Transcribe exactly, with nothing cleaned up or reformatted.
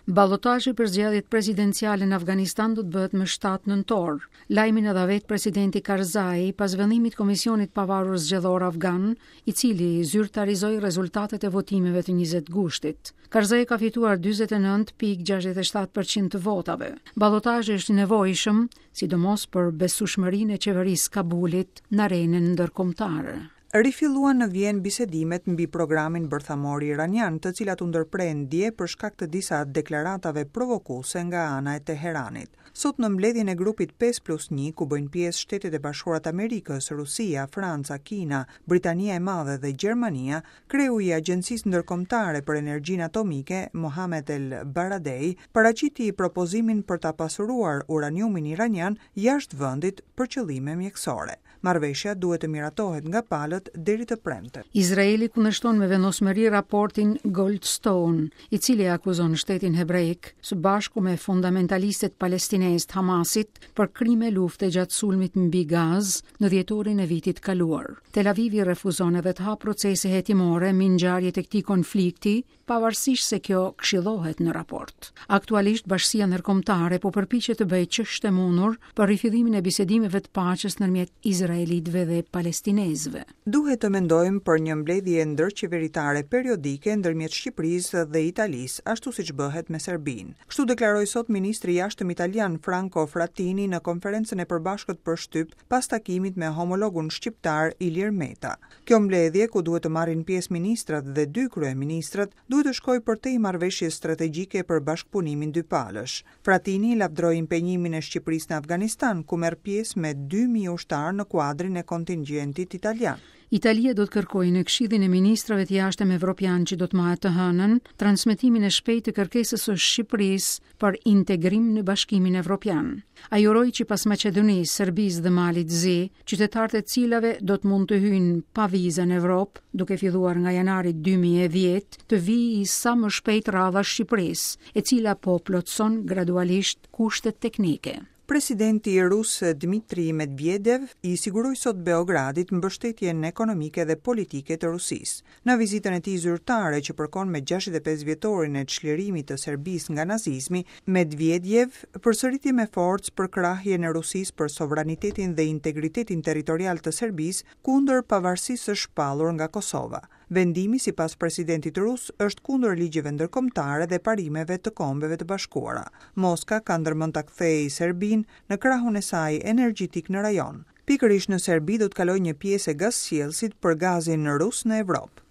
Balotazhi për zgjedhjet presidenciale në Afganistan do të bëhet më shtatë nëntor. Lajmin e dha vetë presidenti Karzai pas vendimit të Komisionit Pavarur Zgjedhor Afgan, i cili zyrtarizoi rezultatet e votimeve të njëzet gushtit. Karzai ka fituar dyzet e nëntë pikë gjashtëdhjetë e shtatë përqind të votave. Balotazhi është i nevojshëm, sidomos për besueshmërinë e qeverisë Kabulit në arenën ndërkombëtare. Rifilluan në Vjenë bisedimet mbi programin bërthamor iranian, të cilat u ndërprejnë dje për shkak të disa deklaratave provokuese nga ana e Teheranit. Sot në mbledhjen e grupit pesë plus një, ku bëjnë pjesë Shtetet e Bashkuara të Amerikës, Rusia, Franca, Kina, Britania e Madhe dhe Gjermania, kreu i Agjencisë Ndërkombëtare për Energjinë Atomike, Mohamed El Baradei, paraqiti propozimin për ta pasuruar uraniumin iranian jashtë vendit për qëllime mjekësore. Marrëveshja duhet të miratohet nga palët deri të premte. Izraeli kundërshton me vendosmëri raportin Goldstone, i cili akuzon shtetin hebraik së bashku me fundamentalistët palestinezë të Hamasit për krime lufte gjatë sulmit mbi Gazë në dhjetorin e vitit kaluar. Tel Avivi refuzon edhe të hapë procese hetimore mbi ngjarjet e këtij konflikti, pavarësisht se kjo këshillohet në raport. Aktualisht bashkësia ndërkombëtare po përpiqet të bëjë ç'është e mundur për rifillimin e bisedimeve të paqes ndërmjet izraelitëve dhe palestinezëve. Duhet të mendojmë për një mbledhje ndërqeveritare periodike ndërmjet Shqipërisë dhe Italisë, ashtu siç bëhet me Serbinë. Kështu deklaroi sot ministri i jashtëm italian Franco Frattini në konferencën e përbashkët për shtyp pas takimit me homologun shqiptar Ilir Meta. Kjo mbledhje, ku duhet të marrin pjesë ministrat dhe dy kryeministrat, duhet të shkojë përtej marrëveshjes strategjike për bashkëpunimin dypalësh. Frattini lavdroi impenjimin e Shqipërisë në Afganistan, ku merr pjesë me dy mijë ushtarë në kuadrin e kontingjentit italian. Italia do të kërkojë në Këshillin e Ministrave të Jashtëm Evropian që do të mbahet të hënën transmetimin e shpejtë të kërkesës së Shqipërisë për integrim në Bashkimin Evropian. Ai uroi që pas Maqedonisë, Serbisë dhe Malit Zi, qytetarët e cilave do të mund të hyjnë pa viza në Evropë, duke filluar nga janari dy mijë e dhjetë, të vijë sa më shpejt radha Shqipërisë, e cila po plotëson gradualisht kushtet teknike. Presidenti rus Dmitri Medvedev i siguroi sot Beogradit mbështetjen ekonomike dhe politike të Rusisë. Në vizitën e tij zyrtare që përkon me gjashtëdhjetë e pesë vjetorin e çlirimit të Serbisë nga nazizmi, Medvedev përsëriti me forcë përkrahjen e Rusisë për sovranitetin dhe integritetin territorial të Serbisë kundër pavarësisë së shpallur nga Kosova. Vendimi, sipas presidentit rus, është kundër ligjeve ndërkombëtare dhe parimeve të Kombeve të Bashkuara. Moska ka ndërmend ta kthejë Serbinë në krahun e saj energjetik në rajon. Pikërisht në Serbi do të kalojë një pjesë e gazsjellësit për gazin rus në Evropë.